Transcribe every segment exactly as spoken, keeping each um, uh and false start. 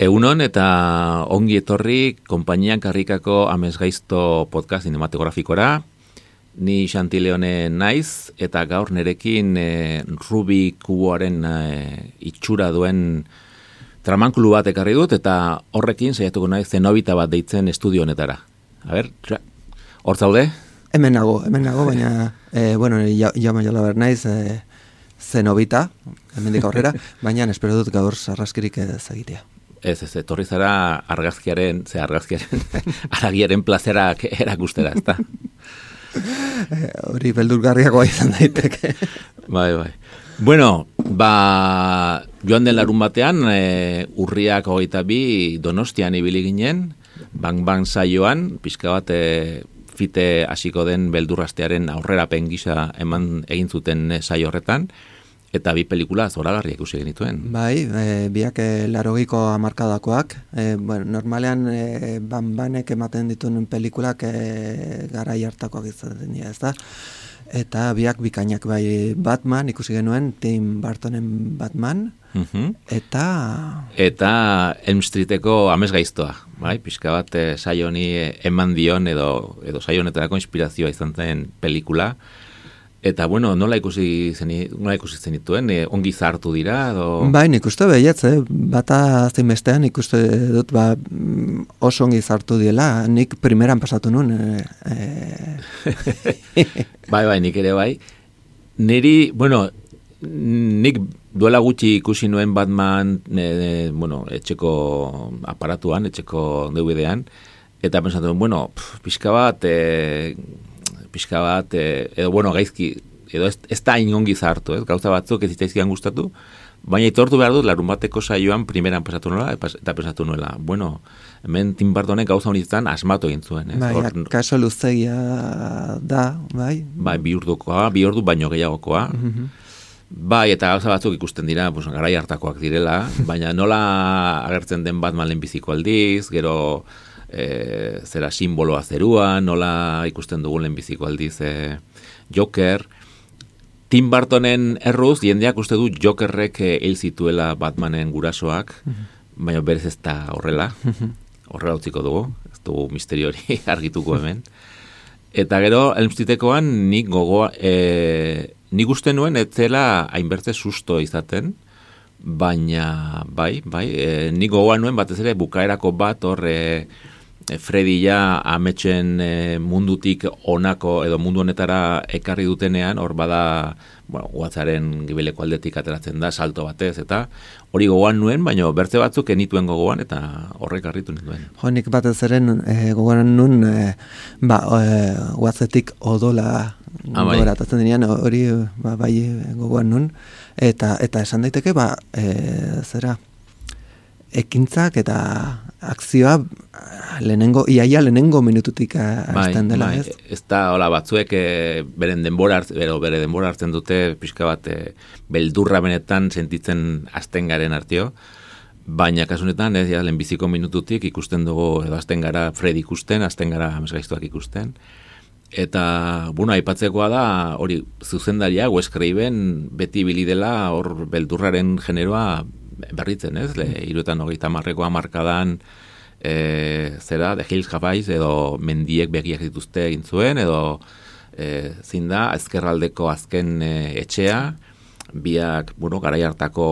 Egunon eta ongi etorri konpainian karrikako amesgaizto podcast cinematografikora. Ni Xanti Leone naiz eta gaur nerekin e, Rubi kuboaren e, itxura duen tramankulu bat ekarri dut eta horrekin saiatuko naiz Zenobita bat deitzen estudio honetara. A ber, hor zaude? Hemen nago, hemen nago, baina e, bueno, jama jola ber naiz e, Zenobita, hemendik aurrera, baina espero dut gaur sarraskirik ez egitea. Ez, ez, etorri zara argazkiaren, ze argazkiaren, aragiaren plazerak erakustera, ezta? Hori beldurgarriagoa izan daiteke. Bai, bai. Bueno, ba, joan den larun batean, e, urriak hogeita bi Donostian ibili ginen, bang-bang saioan, pixka bat e, fite hasiko den beldurrastearen aurrerapen gisa eman egin zuten e, saio horretan, eta bi pelikula zoragarriak ikusi genituen. Bai, e, biak e, larogeiko hamarkadakoak. E, bueno, normalean e, ban-banek ematen dituen pelikulak e, garai hartakoak izaten dira, ez da? Eta biak bikainak bai Batman ikusi genuen, Tim Burtonen Batman, uh-huh. eta... Eta Elm Streeteko amesgaiztoa, bai? Pixka bat e, saio honi eman dion edo, edo saio honetarako inspirazioa izan zen pelikula. Eta, bueno, nola ikusi zeni, nola ikusi zenituen, e, ongi zartu dira, edo... Bai, nik uste behietz, eh? Bata zein bestean nik uste dut ba, oso ongi zartu diela, nik primeran pasatu nun. E, e... bai, bai, nik ere bai. Niri, bueno, nik duela gutxi ikusi nuen Batman, e, e, bueno, etxeko aparatuan, etxeko D V D-an, eta pensatu, bueno, pf, pixka bat... E, pixka bat, e, edo, bueno, gaizki, edo ez, ez da inongi zartu, ez? Gauza batzuk ez zitzaizkian gustatu, baina itortu behar dut, larun bateko saioan primeran pesatu nola, eta pesatu nuela. Bueno, hemen Tim Burtonek gauza honetan asmatu egin zuen, ez? Bai, Or, kaso luzegia da, bai? Bai, bi urdukoa, bi ordu baino gehiagokoa. Mm-hmm. Bai, eta gauza batzuk ikusten dira, pues, garai hartakoak direla, baina nola agertzen den Batman lehenbiziko aldiz, gero... E, zera simboloa zerua, nola ikusten dugun lehenbiziko aldiz e, Joker. Tim Burtonen erruz, jendeak uste du Jokerrek hil zituela Batmanen gurasoak, mm-hmm. baina berez ez da horrela, horrela utziko dugu, ez dugu misterio hori argituko hemen. Eta gero, Elm Streetekoan nik gogoa, e, nik uste nuen ez zela hainbertze susto izaten, baina bai, bai, e, nik gogoa nuen batez ere bukaerako bat hor... E, Freddy ja ametxen e, mundutik onako edo mundu honetara ekarri dutenean, hor bada, bueno, guatzaren gibeleko aldetik ateratzen da, salto batez, eta hori gogoan nuen, baina bertze batzuk enituen gogoan, eta horrek harritu nituen. Jo, nik batez eren e, gogoan nuen, e, ba, e, guatzetik odola ah, bai. gogoratatzen denean, hori ba, bai gogoan nuen, eta, eta esan daiteke, ba, e, zera, ekintzak eta akzioa lehenengo, iaia lehenengo minututik hasten dela, bai, ez? Ez da, hola, batzuek e, beren denbora, bero, bere denbora hartzen dute, pixka bat, e, beldurra benetan sentitzen hasten garen artio, baina kasunetan, ez, ja, lehenbiziko minututik ikusten dugu, edo hasten gara Fred ikusten, hasten gara amesgaiztuak ikusten, eta, bueno, aipatzekoa da, hori, zuzendaria, Wes Craven, beti bili dela, hor beldurraren generoa, berritzen, ez? Le, iruetan hogeita marreko hamarkadan e, zera, The Hills Have Eyes edo mendiek begiak dituzte egin zuen, edo e, zin da, ezkerraldeko azken e, etxea, biak, bueno, garai hartako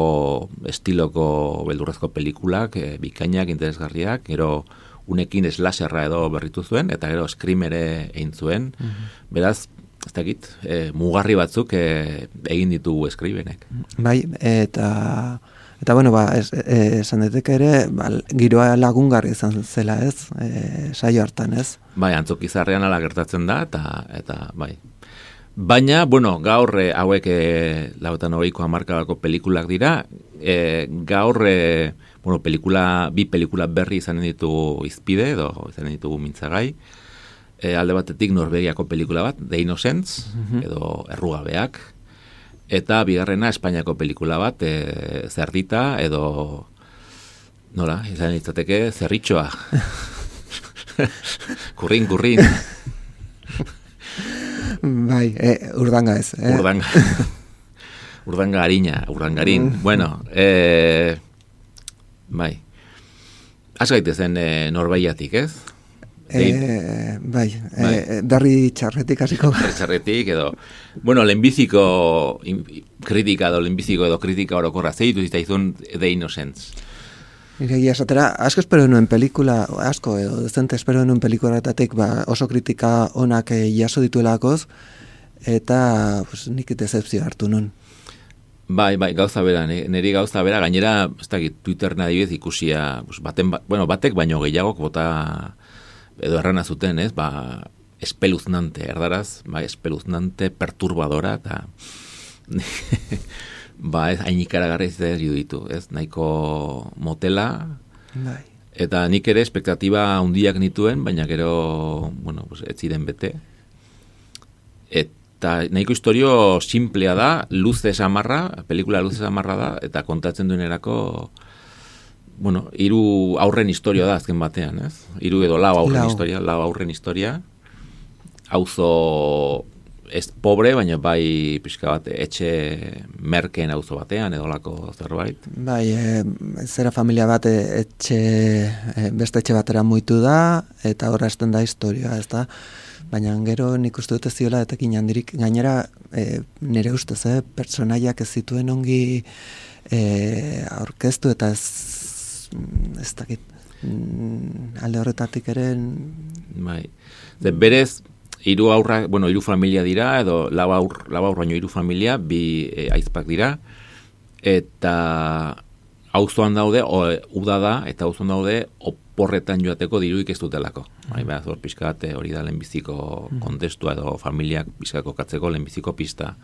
estiloko beldurrezko pelikulak, e, bikainak, interesgarriak, gero unekin slasherra edo berritu zuen, eta gero Scream ere egin zuen, mm-hmm. Beraz, ez dakit, e, mugarri batzuk e, egin ditugu Scrivenek. Bai, eta... Eta bueno, ba, esan daiteke ere, ba, giroa lagungarri izan zela, ez? E, saio hartan, ez? Bai, antzokizarrean ala gertatzen da, eta, eta bai. Baina, bueno, gaur hauek e, lauetan hogeiko hamarkadako pelikulak dira, e, gaur, e, bueno, pelikula, bi pelikula berri izanen ditugu Izpide, edo izanen ditugu Mintzagai, e, alde batetik Norvegiako pelikula bat, The Innocents, mm-hmm. edo Errugabeak, eta bigarrena Espainiako pelikula bat, e, Zerdita, edo, nola, izan litzateke, Zerritxoa. kurrin, kurrin. Bai, e, urdanga ez. Eh? Urdanga. Urdanga harina, urdangarin. bueno, e, bai. Az gaitezen e, Norbeiatik, ez? E, bai, bai. E, darri txarretik hasiko. Darri txarretik, edo... Bueno, lehenbiziko kritika edo lehenbiziko edo kritika orokorra zeitu zitaizun The Innocents. Egia esatera, asko espero nuen pelikula, asko, edo dezente espero nuen pelikulatatik ba, oso kritika onak e, jaso dituelakoz, eta pues, nik decepzio hartu nun. Bai, bai, gauza bera, niri gauza bera, gainera, ez dakit, Twitter adibidez ikusia, pues, baten, ba, bueno, batek baino gehiagok bota, edo errana zuten, ez, ba, espeluznante, erdaraz, ba, espeluznante, perturbadora, eta... ba, ez, hain ikaragarri ez ditu, ez, nahiko motela, bai. Eta nik ere espektatiba handiak nituen, baina gero, bueno, pues, ez ziren bete. Eta nahiko historio simplea da, luze samarra, pelikula luze samarra da, eta kontatzen duenerako, bueno, hiru aurren historia da azken batean, ez? Hiru edo lau aurren lau. historia, lau aurren historia, auzo... Ez pobre, baina bai pixka bat etxe merkeen auzo batean edolako zerbait. Bai, e, zera familia bat etxe, e, beste etxe batera muitu da, eta horra esten da historia, ez da? Baina gero nik uste dute ziola etekin handirik, gainera e, nire ustez, eh, personaiak ez zituen ongi e, aurkeztu eta ez, ez dakit, alde horretatik ere... Bai, de berez... Hiru aurra, bueno, hiru familia dira, edo lau aur, lau aur baino hiru familia, bi e, aizpak dira, eta auzoan daude, o, uda da, eta auzoan daude, oporretan joateko diruik ez dutelako. Bai, behaz, hor pixka bat, hori da lehenbiziko kontestua, edo familiak pixkako katzeko lehenbiziko pista.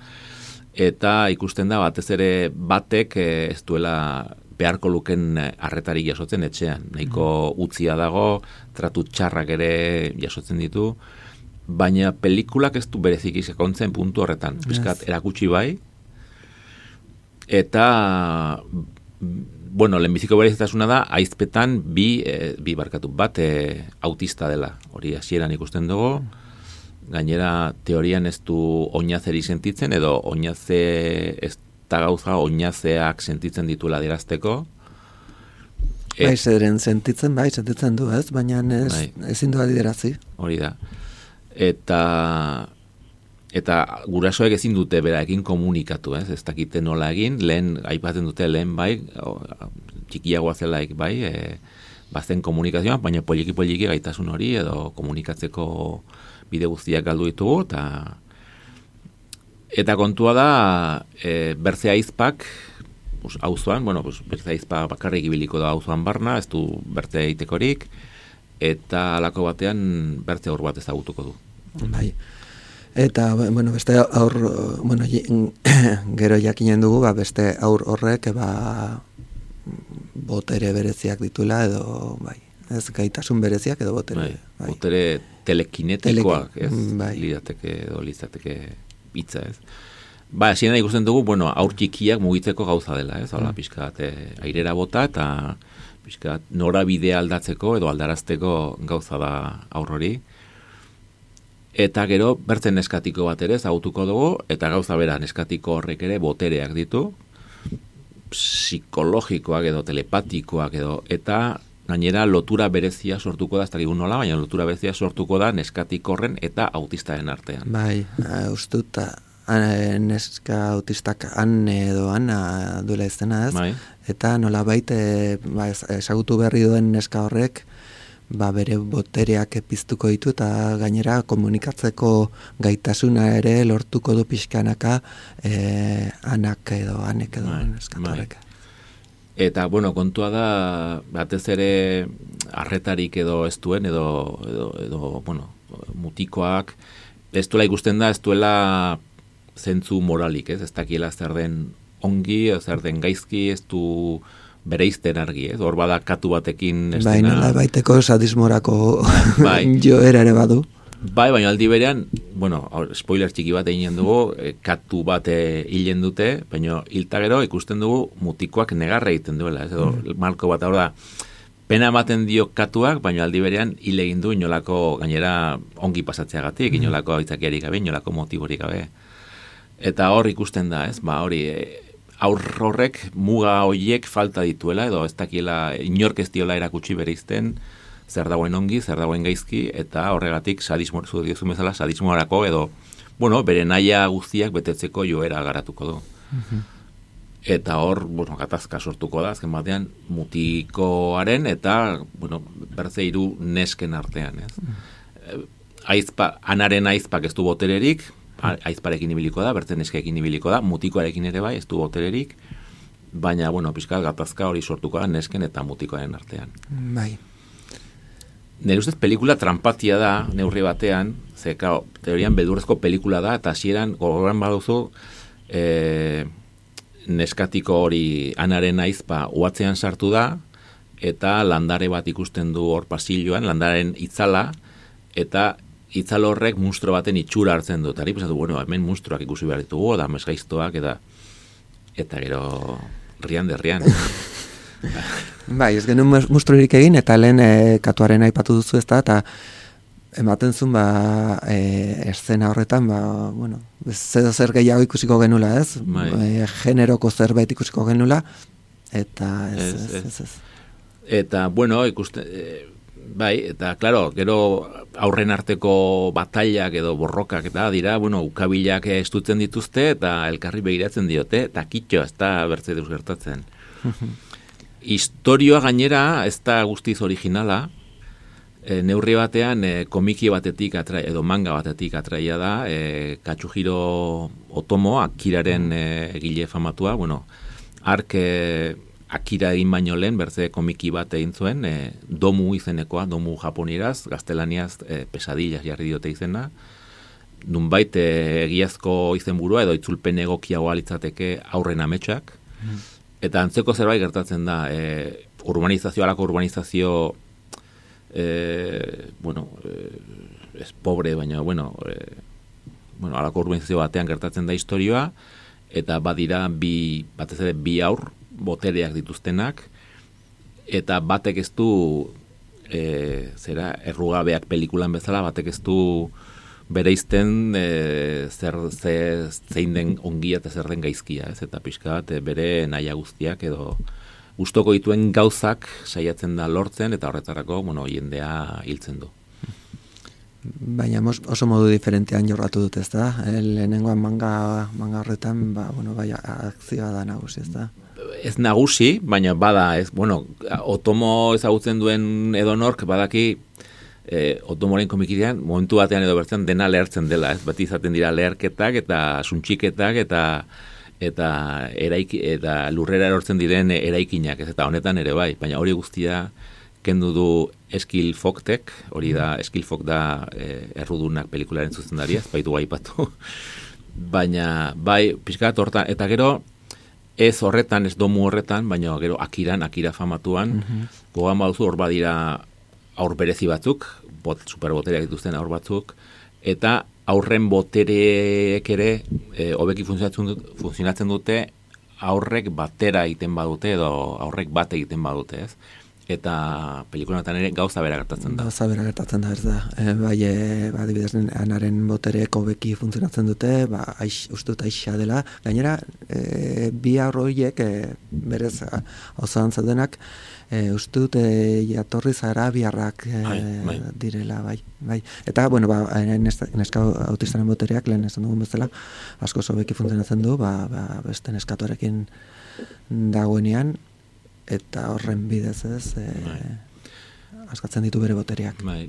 Eta ikusten da, batez ere batek ez duela beharko luken arretarik jasotzen etxean. Nahiko utzia dago, tratu txarrak ere jasotzen ditu, baina pelikulak ez du berezik izakontzen puntu horretan. Piskat yes. erakutsi bai. Eta, bueno, lehenbiziko berezitasuna da, aizpetan bi, e, bi barkatu bat e, autista dela. Hori hasieran ikusten dugu. Gainera, teorian ez du oinazeri sentitzen, edo oinaze ez da gauza oinazeak sentitzen dituela dirazteko. Bai, zeren sentitzen, bai, sentitzen du, ez? Baina ez, bai. ezin du adiderazi. Hori da. Eta eta gurasoek ezin dute beraekin komunikatu, ez? Ez dakite nola egin, lehen aipatzen dute lehen bai, o, txikiagoa zelaik bai, e, bazen komunikazioa, baina poliki poliki gaitasun hori edo komunikatzeko bide guztiak galdu ditugu, eta eta kontua da e, berze aizpak auzoan, bueno, pues, berze aizpa bakarrik ibiliko da auzoan barna, ez du berze egitekorik, eta halako batean bertze aur bat ezagutuko du. Bai. Eta, bueno, beste aur, bueno, gero jakinen dugu, ba, beste aur horrek, ba, botere bereziak dituela, edo, bai, ez gaitasun bereziak edo botere. Bai, bai. Botere telekinetikoak, ez? Bai. Lidateke, edo litzateke hitza, ez? Ba, hasieran ikusten dugu, bueno, aur txikiak mugitzeko gauza dela, ez? Hala, mm. pixkat, airera bota, eta pixkat, norabidea aldatzeko edo aldarazteko gauza da aur hori. Eta gero, bertzen neskatiko bat ere zagutuko dugu, eta gauza bera neskatiko horrek ere botereak ditu, psikologikoak edo telepatikoak edo, eta gainera lotura berezia sortuko da, ez dakik nola, baina lotura berezia sortuko da neskatiko horren eta autistaren artean. Bai, uh, ustuta, neska autistak Anne edo Ana duela izena, ez? Bai. Eta nola baite, ba, ezagutu berri duen neska horrek, ba, bere botereak piztuko ditu eta gainera komunikatzeko gaitasuna ere lortuko du pixkanaka e, anak edo anek edo neskatorrek. Eta, bueno, kontua da batez ere arretarik edo ez duen edo, edo, edo bueno, mutikoak ez duela ikusten da, ez duela zentzu moralik, ez, ez dakiela zer den ongi, zer den gaizki, ez du bereizten argi, ez? Hor bada katu batekin estena... Bai, nola baiteko sadismorako bai. joera ere badu. Bai, baina aldi berean, bueno, spoiler txiki bat egin dugu, katu bat hilen dute, baina hilta gero ikusten dugu mutikoak negarra egiten duela, ez edo, mm. marko bat, hor da, pena ematen dio katuak, baina aldi berean hil egin du inolako gainera ongi pasatzeagatik, mm. inolako aitzakiarik gabe, inolako motiborik gabe. Eta hor ikusten da, ez, ba, hori, aur horrek muga hoiek falta dituela, edo ez dakiela, inork ez diola erakutsi bereizten, zer dagoen ongi, zer dagoen gaizki, eta horregatik sadismo, zu diozu bezala, sadismoarako, edo, bueno, bere naia guztiak betetzeko joera garatuko du. Mm-hmm. Eta hor, bueno, gatazka sortuko da, azken batean, mutikoaren, eta, bueno, berze hiru nesken artean, ez? Mm. Aizpa, anaren aizpak ez du botererik, aizparekin ibiliko da, bertzen neskeekin ibiliko da, mutikoarekin ere bai, ez du botererik, baina, bueno, pixka gatazka hori sortuko da, nesken eta mutikoaren artean. Bai. Nire ustez pelikula trampatia da, neurri batean, ze, kao, teorian beldurrezko pelikula da, eta hasieran gogoran baduzu, e, neskatiko hori anaren aizpa uatzean sartu da, eta landare bat ikusten du hor pasilloan, landaren itzala, eta itzal horrek munstro baten itxura hartzen du. Tari pesatu, bueno, hemen munstruak ikusi behar ditugu, da mesgaiztoak, eta eta gero rian de rian. Bai, ez genuen mustrurik egin, eta lehen e, katuaren aipatu duzu ez da, eta ematen zuen, ba, e, eszena horretan, ba, bueno, zer zer gehiago ikusiko genula, ez? Bai. E, generoko zerbait ikusiko genula, eta ez, ez, ez, ez, ez. Eta, bueno, ikusten, e, bai, eta, klaro, gero aurren arteko batailak edo borrokak eta dira, bueno, ukabilak estutzen dituzte, eta elkarri begiratzen diote, eta kitxo, ez da bertze deus gertatzen. Historioa gainera ez da guztiz originala, e, neurri batean e, komiki batetik atra, edo manga batetik atraia da, e, Katsuhiro Otomo, Akiraren e, egile famatua, bueno, ark e, Akira egin baino lehen, berze komiki bat egin zuen, e, Domu izenekoa, Domu japonieraz, gaztelaniaz e, Pesadillas jarri diote izena, nunbait e, egiazko izenburua edo itzulpen egokiagoa litzateke aurren ametsak, mm. Eta antzeko zerbait gertatzen da, e, urbanizazio, alako urbanizazio, e, bueno, e, ez pobre, baina, bueno, e, bueno, alako urbanizazio batean gertatzen da historioa, eta badira bi, batez ere bi aur, botereak dituztenak, eta batek ez du, e, zera, errugabeak pelikulan bezala, batek ez du bereizten e, zer, ze, zein den ongia eta zer den gaizkia, ez? Eta pixka bat e, bere naia guztiak edo gustoko dituen gauzak saiatzen da lortzen, eta horretarako, bueno, jendea hiltzen du. Baina oso modu diferentean jorratu dut, ez da? Lehenengoan manga, manga horretan, ba, bueno, bai, akzioa da nagusi, ez da? Ez nagusi, baina bada, ez, bueno, Otomo ezagutzen duen edonork badaki, E, Otomoren komikidean, momentu batean edo bertzen dena lehertzen dela, ez? Bati izaten dira leherketak eta suntxiketak eta eta eraik, eta lurrera erortzen diren eraikinak, ez? Eta honetan ere bai, baina hori guztia kendu du Eskil Foktek, hori da, Eskil Fok da e, errudunak pelikularen zuzendaria, ez baitu gaipatu. Baina, bai, pixkat hortan, eta gero, ez horretan, ez Domu horretan, baina gero Akiran, Akira famatuan, mm-hmm. gogan baduzu hor badira aur berezi batzuk, bot, superbotereak dituzten aur batzuk, eta aurren botereek ere e, hobeki funtzionatzen, funtzionatzen dute aurrek batera egiten badute edo aurrek bat egiten badute, ez? Eta pelikulatan ere gauza bera gertatzen da. Gauza bera gertatzen da, ez da. E, bai, e, ba, adibidez, anaren botereek hobeki funtzionatzen dute, ba, aiz, uste dut aixa dela. Gainera, e, bi aurroiek, e, berez, osoan zaudenak, e, uste dut, e, jatorri zara biarrak e, ai, bai. direla, bai. bai. Eta, bueno, ba, neska autistaren botereak, lehen esan dugun bezala, asko hobeki funtzionatzen du, ba, ba, beste neskatuarekin dagoenean, eta horren bidez ez, e, askatzen ditu bere botereak. Bai.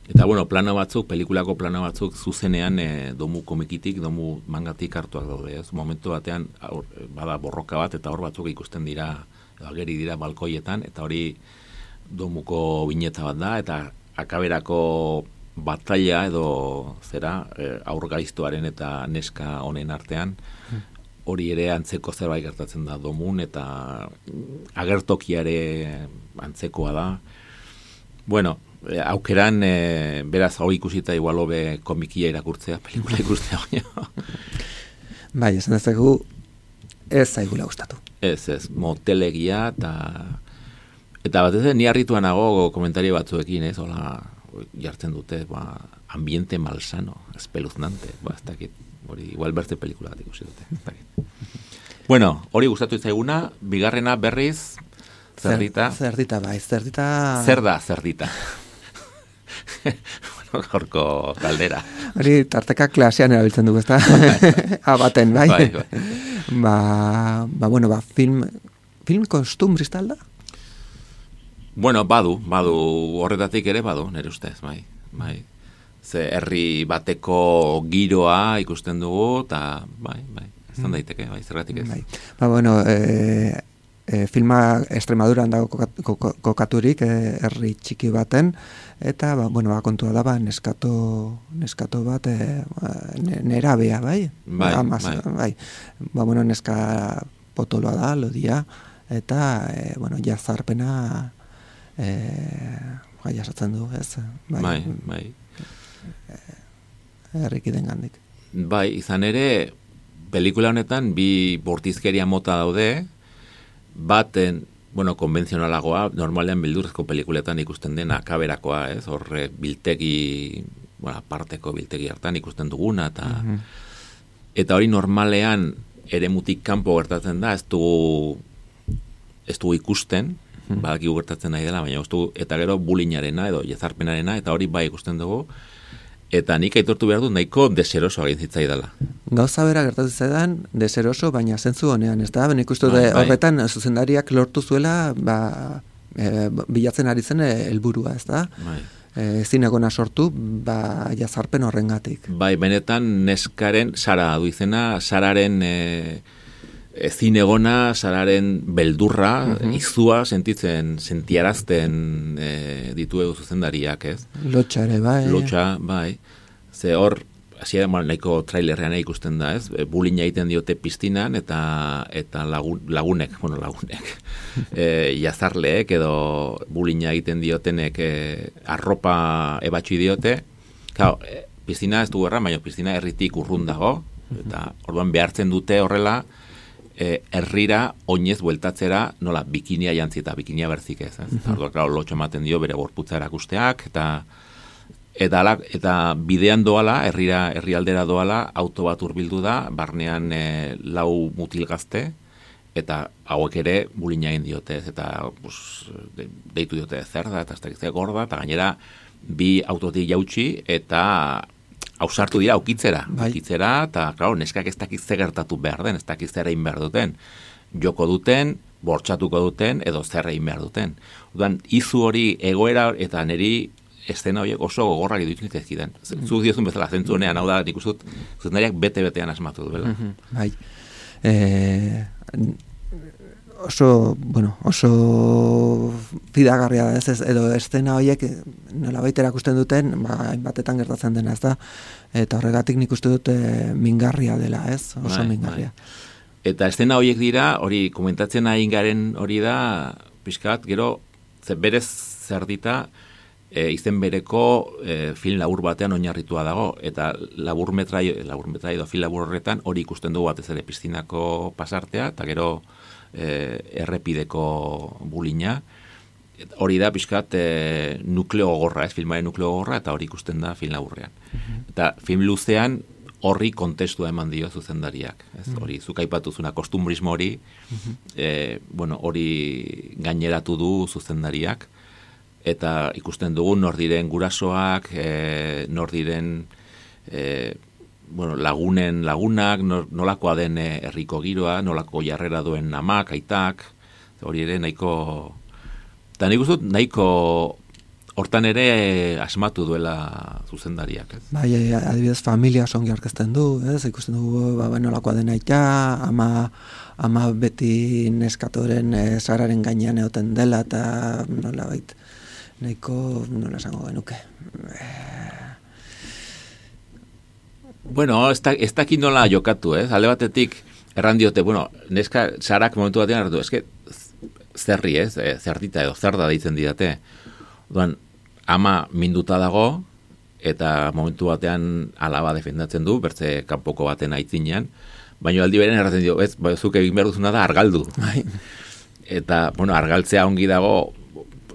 Eta, bueno, plano batzuk, pelikulako plano batzuk, zuzenean e, Domu komikitik, Domu mangatik hartuak daude. Ez momentu batean, aur, bada borroka bat, eta hor batzuk ikusten dira, ageri dira balkoietan, eta hori Domuko bineta bat da, eta akaberako batalla edo zera, e, aurgaiztuaren eta neska honen artean, hmm. hori ere antzeko zerbait gertatzen da domun, eta agertokiare antzekoa da. Bueno, aukeran, e, beraz, hori ikusita igual hobe komikia irakurtzea, pelikula ikustea baina. Bai, esan dezakegu, ez zaigula gustatu. Ez, ez, motelegia, eta eta batez ni harrituan nago komentario batzuekin, ez, hola, jartzen dute, ba, ambiente malsano, espeluznante, ba, ez dakit, hori, igual berte pelikula bat ikusi dute, ez dakit. Bueno, hori gustatu itzaiguna, bigarrena berriz, zerdita. Zer, zerdita, bai, zerdita... Zer da, zerdita. Bueno, gaurko galdera. Hori, tarteka klasean erabiltzen dugu, ez da? Abaten, bai? Bai, bai. Ba, ba, bueno, ba, film, film kostumbrista alda? Bueno, badu, badu, horretatik ere badu, nire ustez, bai, bai. Ze herri bateko giroa ikusten dugu, eta bai, bai, izan daiteke, bai, zergatik ez. Bai. Ba, bueno, e, e, filma Extremaduran dago kokaturik, e, herri txiki baten, eta, ba, bueno, ba, kontua da, ba, neskato, neskato bat, e, nerabea, bai? Bai, Amaz, bai. bai. Ba, bueno, neska potoloa da, lodia, eta, e, bueno, jazarpena, e, bai, jasatzen du, ez? Bai, bai. bai. Herrikiden gandik. Bai, izan ere, pelikula honetan bi bortizkeria mota daude, baten, bueno, konbentzionalagoa, normalean bildurrezko pelikuletan ikusten dena, kaberakoa, ez, horre biltegi, bueno, parteko biltegi hartan ikusten duguna, eta uh-huh. eta hori normalean eremutik kanpo gertatzen da, ez dugu, ez dugu ikusten, uh-huh. badakigu gertatzen nahi dela, baina ez dugu, eta gero bulinarena edo jezarpenarena, eta hori bai ikusten dugu, eta nik aitortu behar dut nahiko deseroso egin zitzaidala. Gauza bera gertatu zaidan, deseroso, baina zentzu honean, ez da? Ben ikustu bai, bai. Horretan, zuzendariak lortu zuela, ba, e, bilatzen ari zen helburua, ez da? Bai. E, zinegona sortu, ba, jazarpen horrengatik. Bai, benetan neskaren, Sara du izena, Sararen e, zinegona, Sararen beldurra, uh-huh. izua sentitzen, sentiarazten e, ditu egu zuzendariak, ez? Lotxa ere, bai. Lotxa, bai. Ze hor, hasiera nahiko trailerrean ikusten da, ez? Bulina egiten diote piztinan, eta eta lagun, lagunek, bueno, lagunek, e, jazarleek edo bulina egiten diotenek e, arropa ebatxi diote. Claro, e, piztina ez du erran, baina piztina herritik urrun dago, eta orduan behartzen dute horrela, E, herrira oinez bueltatzera nola bikinia jantzi eta bikinia berzik ez. ez? Uh-huh. Orduan, claro, lotxo ematen dio bere gorputza erakusteak, eta eta, ala, eta bidean doala, herrira herrialdera doala, auto bat hurbildu da, barnean e, lau mutil gazte, eta hauek ere bulina egin diote, ez, eta pues, de, deitu diote zer da, eta ez da gorda, eta gainera bi autotik jautsi, eta ausartu dira aukitzera, bai. aukitzera, eta, claro, neskak ez dakiz ze gertatu behar den, ez dakiz zer egin behar duten. Joko duten, bortxatuko duten, edo zer egin behar duten. Orduan, izu hori egoera eta niri estena horiek oso gogorrak iruditzen zaizkidan. Mm-hmm. Zuk diozun bezala, zentzu honean, hau da, nik uzut, zuzendariak bete-betean asmatu duela. Mm-hmm. Bai. E, oso, bueno, oso fidagarria da, ez, edo estena horiek nolabait erakusten duten, ba, hainbatetan gertatzen dena, ez da, eta horregatik nik uste dut e, mingarria dela, ez, oso bai, mingarria. Bai. Eta estena horiek dira, hori komentatzen ari garen hori da, pixkat, gero, ze berez zerdita, e, izen bereko e, film labur batean oinarritua dago, eta labur metrai, labur metrai edo film labur horretan hori ikusten dugu batez ere piztinako pasartea, eta gero E, errepideko bulina, hori da pixkat e, nukleo gogorra, ez filmaren nukleo gogorra, eta hori ikusten da film laburrean. Uh-huh. Eta film luzean horri kontestua eman dio zuzendariak. Ez? Uh-huh. Hori, zuk aipatuzuna kostumbrismo hori, uh-huh. e, bueno, hori gaineratu du zuzendariak, eta ikusten dugu nor diren gurasoak, e, nor diren e, bueno, lagunen lagunak, nolakoa den herriko giroa, nolako jarrera duen amak, aitak, hori ere nahiko, eta nik uste nahiko hortan ere asmatu duela zuzendariak. Ez? Bai, adibidez familia songi aurkezten du, ez? Ikusten dugu ba, nolakoa den aita, ama, ama beti neskatoren e, Sararen gainean egoten dela, eta nolabait nahiko, nola esango genuke, Bueno, ez dakit nola jokatu, ez? Alde batetik, erran diote, bueno, neska Sarak momentu batean hartu, eske zerri ez, e, zertita edo zer da deitzen didate. Oduan, ama minduta dago, eta momentu batean alaba defendatzen du, bertze kanpoko baten aitzinean, baina aldi beren erraten dio, ez, ba, zuk egin behar duzuna da argaldu. Eta, bueno, argaltzea ongi dago,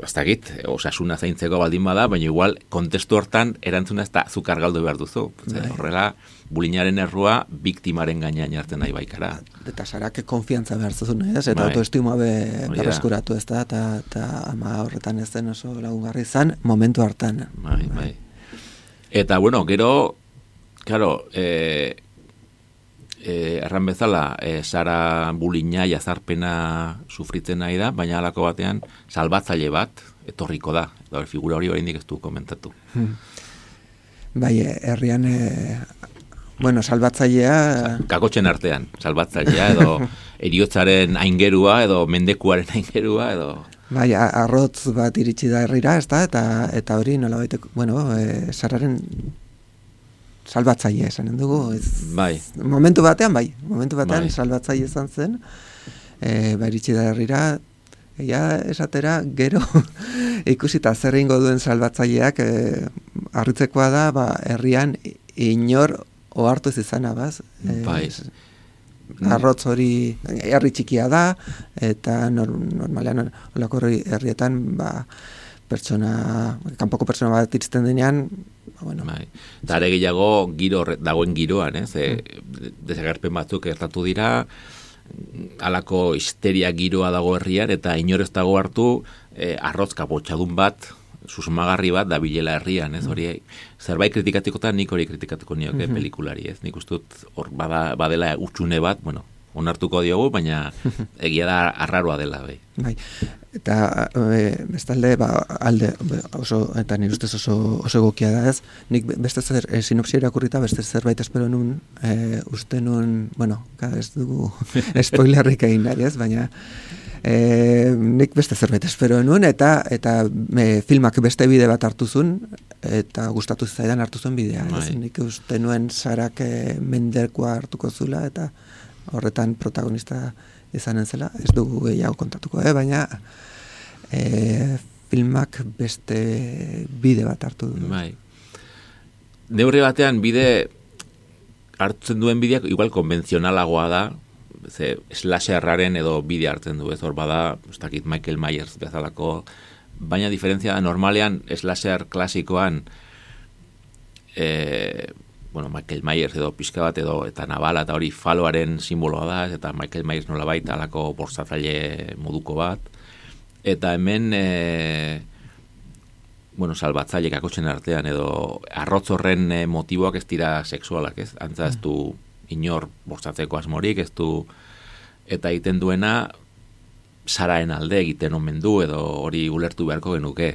ez dakit, osasuna zaintzeko baldin bada, baina igual, kontestu hortan, erantzuna ez da zuk argaldu behar duzu. Horrela, bulinaren errua, biktimaren gainean jartzen nahi baikara. Eta Sarak konfiantza behar zuzun, ez? Eta bai. autoestima be berreskuratu ez da, eta, eta ama horretan ez den oso lagungarri izan, momentu hartan. Bai, bai. Eta, bueno, gero, claro, eh, eh, erran bezala, eh, Sara bulina jazarpena sufritzen nahi da, baina halako batean salbatzaile bat etorriko da. Eta figura hori oraindik ez du komentatu. Hmm. Bai, herrian, e, bueno, salbatzailea... Kakotxen artean, salbatzailea, edo eriotzaren aingerua, edo mendekuaren aingerua, edo... Bai, arrotz bat iritsi da herrira, ez da, eta, eta hori nola baiteko, bueno, e, Sararen salbatzaile esanen dugu. Ez, bai. Momentu batean, bai, momentu batean bai. salbatzaile izan zen, e, ba, iritsi da herrira, ja esatera, gero ikusita zer egingo duen salbatzaileak, e, harritzekoa da, ba, herrian inor ohartu ez izana, baz? E, bai. Arrotz hori herri txikia da, eta nor, normalean olako herrietan ba, pertsona, kanpoko pertsona bat iristen denean, ba, bueno. Bai. Eta are gehiago giro, dagoen giroan, ez? E, desagerpen batzuk gertatu dira, halako histeria giroa dago herrian, eta inor ez dago hartu e, arrotz kapotxadun bat, susmagarri bat da bilela herrian, ez? Hori zerbait kritikatikotan nik hori kritikatuko nioke mm-hmm. pelikulari, ez? Nik ustut hor bada, badela utxune bat, bueno, onartuko diogu, baina egia da arraroa dela, bai. Bai. Eta e, bestalde, ba, alde, oso, eta nire ustez oso, oso egokia da, ez? Nik beste zer, e, sinopsia irakurrita, beste zerbait espero nun, e, uste nun, bueno, ez dugu spoilerrik egin nahi, ez? Baina, E, nik beste zerbait espero nuen, eta eta e, filmak beste bide bat hartu zuen, eta gustatu zaidan hartu zuen bidea. Ez? Nik uste nuen Sarak e, mendekoa hartuko zula, eta horretan protagonista izanen zela. Ez dugu gehiago kontatuko, eh? Baina e, filmak beste bide bat hartu du. Bai. Neurri batean bide hartzen duen bideak igual konbentzionalagoa da, ze slasherraren edo bide hartzen du, ez hor bada, ez dakit Michael Myers bezalako, baina diferentzia da, normalean slasher klasikoan e, bueno, Michael Myers edo pixka bat edo eta nabala eta hori faloaren simboloa da, eta Michael Myers nola baita alako bortzatzaile moduko bat, eta hemen e, bueno, salbatzaile kakotxen artean edo arrotz horren e, motiboak ez dira sexualak, ez? Antza ez du inor bortzatzeko asmorik, ez du, eta egiten duena Saraen alde egiten omen du, edo hori ulertu beharko genuke.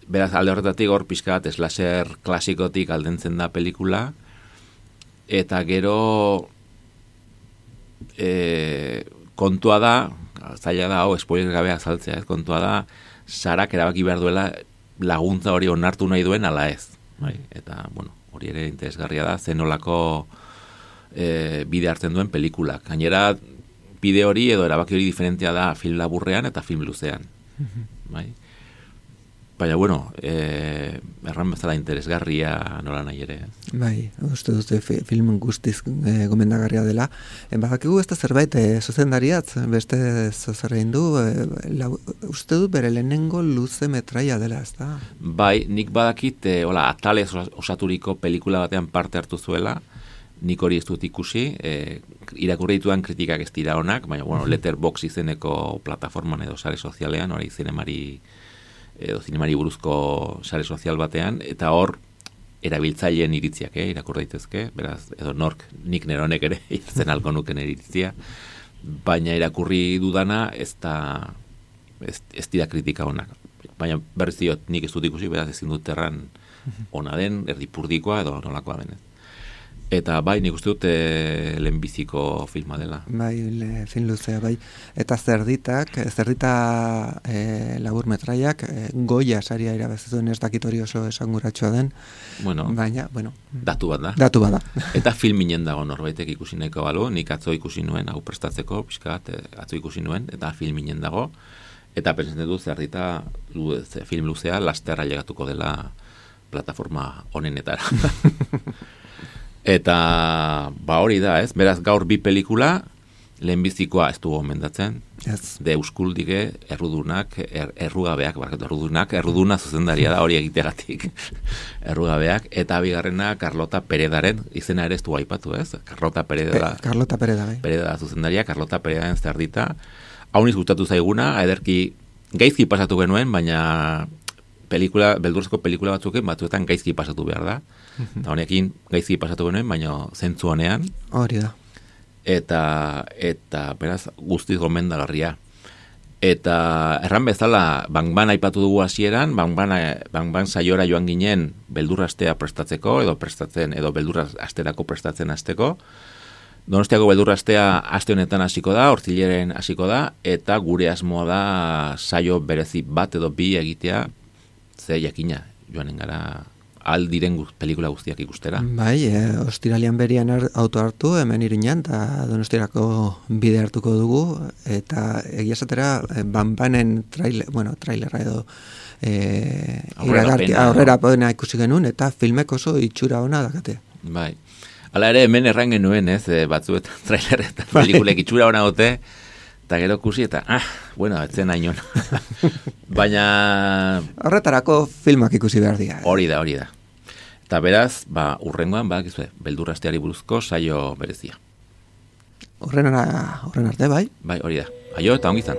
Beraz, alde horretatik hor pixka bat slasher klasikotik aldentzen da pelikula, eta gero e, kontua da, zaila da, hau, spoiler gabe azaltzea, ez, kontua da, Sarak erabaki behar duela laguntza hori onartu nahi duen ala ez. Bai? Eta, bueno, hori ere interesgarria da, zenolako E, bide hartzen duen pelikulak. Gainera, bide hori edo erabaki hori diferentea da film laburrean eta film luzean. Bai? Baina, bueno, e, erran bezala interesgarria nola nahi ere. Bai, uste dute film guztiz e, gomendagarria dela. E, badakigu ez da zerbait, e, zuzendariatz, beste zuzerrein du, e, la, uste du bere lehenengo luze metraia dela, ez da? Bai, nik badakit, e, hola, atalez osaturiko pelikula batean parte hartu zuela, nik hori ez dut ikusi, e, irakurri dituan kritikak ez dira onak, baina, bueno, Letterboxd izeneko plataforman edo sare sozialean, hori zinemari, edo zinemari buruzko sare sozial batean, eta hor, erabiltzaileen iritziak, eh, irakurri daitezke, beraz, edo nork, nik neronek ere, zen alko nuken iritzia, baina irakurri dudana, ez da, ez, ez dira kritika onak. Baina berriz diot, nik ez dut ikusi, beraz ezin dut erran ona den, erdipurdikoa edo nolakoa denez. Eta bai, nik uste dut e, lehenbiziko filma dela. Bai, le, film luzea, bai. Eta zerditak, zerdita e, labur metraiak, e, Goya saria irabazizuen, ez dakit hori oso esanguratxoa den, bueno, baina, bueno. Datu bat da. Datu bat da. Eta filminen dago norbaitek ikusi nahiko balu, nik atzo ikusi nuen, hau prestatzeko, pixkat, atzo ikusi nuen, eta filminen dago, eta pentsatzen dut zerdita lu, film luzea lasterra llegatuko dela plataforma honenetara. Eta, ba hori da, ez? Beraz, gaur bi pelikula, lehenbizikoa ez dugu omendatzen, yes. De Euskuldige, errudunak, er, errugabeak, barkatu, errudunak, erruduna zuzendaria da hori egitegatik, errugabeak, eta bigarrena Carlota Peredaren, izena ere ez du aipatu, ez? Carlota Pereda, Pe, Carlota Pereda, bai. Pereda zuzendaria, Carlota Peredaren zerdita, hau niz gustatu zaiguna, ederki gaizki pasatu genuen, baina pelikula, beldurrezko pelikula batzuken, batzuetan gaizki pasatu behar da. Eta honekin gaizki pasatu genuen, baina zentzu honean. Hori da. Eta, eta beraz, guztiz gomendagarria. Eta erran bezala, Bang-Ban aipatu dugu hasieran, Bang-Ban, Bang-Ban saiora joan ginen beldurrastea prestatzeko, edo prestatzen, edo beldurrasterako prestatzen hasteko. Donostiako beldurrastea aste honetan hasiko da, hortzileren hasiko da, eta gure asmoa da saio berezi bat edo bi egitea, ze jakina, joanen gara aldiren pelikula guztiak ikustera. Bai, e, ostiralian berian auto hartu, hemen irinan, eta Donostirako bide hartuko dugu, eta egia esatera, Bang-Banen trailer, bueno, trailera edo e, aurrera pena ikusi genuen, eta filmek oso itxura ona dakate. Bai. Hala ere, hemen erran genuen, ez, batzuetan trailer eta pelikulek itxura ona dute, eta gero kusi, eta, ah, bueno, etzen ainon. Baina... Horretarako filmak ikusi behar dira. Hori da, hori da. Eta beraz, ba, urrengoan, ba, gizue, beldurrasteari buruzko saio berezia. Horren arte, bai? Bai, hori da. Aio, eta ongizan.